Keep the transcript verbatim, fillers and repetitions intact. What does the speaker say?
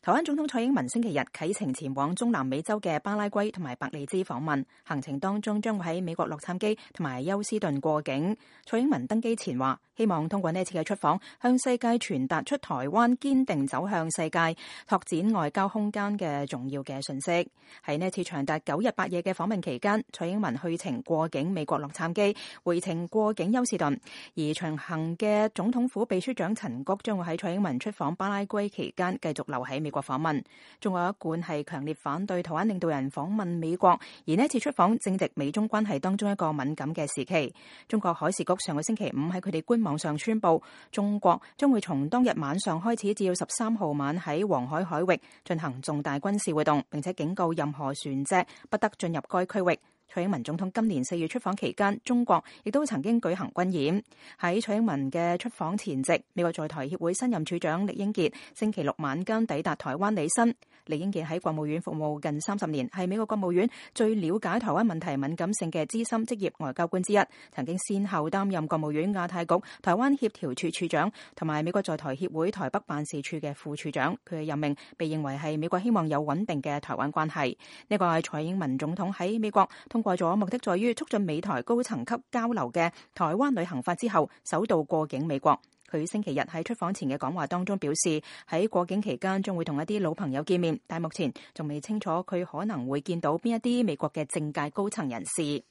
台灣總統蔡英文星期日啟程前往中南美洲嘅巴拉圭同埋伯利茲訪問，行程當中將會喺美國洛杉磯同埋休斯頓過境。蔡英文登機前話，希望通過呢次嘅出訪，向世界傳達出台灣堅定走向世界、拓展外交空間嘅重要嘅訊息。喺呢次長達九日八夜嘅訪問期間，蔡英文去程過境美國洛杉磯，回程過境休斯頓，而隨行嘅總統府秘書長陳菊將會喺蔡英文出訪巴拉圭期間繼續留喺美國訪問。中國一貫係強烈反對台灣領導人訪問美國，而呢次出訪正值美中關係當中一個敏感嘅時期。中國海事局上個星期五喺佢哋官網上宣布，中國將會從當日晚上開始至到十三號晚喺黃海海域進行重大軍事活動，並且警告任何船隻不得進入該區域。蔡英文總統今年四月出訪期間，中國亦都曾經舉行軍演。喺蔡英文嘅出訪前夕，美國在台協會新任處長酈英傑星期六晚間抵達台灣履新。酈英傑喺國務院服務近三十年，係美國國務院最了解台灣問題敏感性嘅資深職業外交官之一，曾經先後擔任國務院亞太局台灣協調處處長同埋美國在台協會台北辦事處嘅副處長。佢嘅任命被認為係美國希望有穩定嘅台灣關係。呢個係蔡英文總統喺美國通過咗目的在於促進美台高層級交流嘅台灣旅行法之後，首度過境美國。佢星期日喺出訪前嘅講話當中表示，喺過境期間將會同一啲老朋友見面，但目前仲未清楚佢可能會見到邊一啲美國嘅政界高層人士。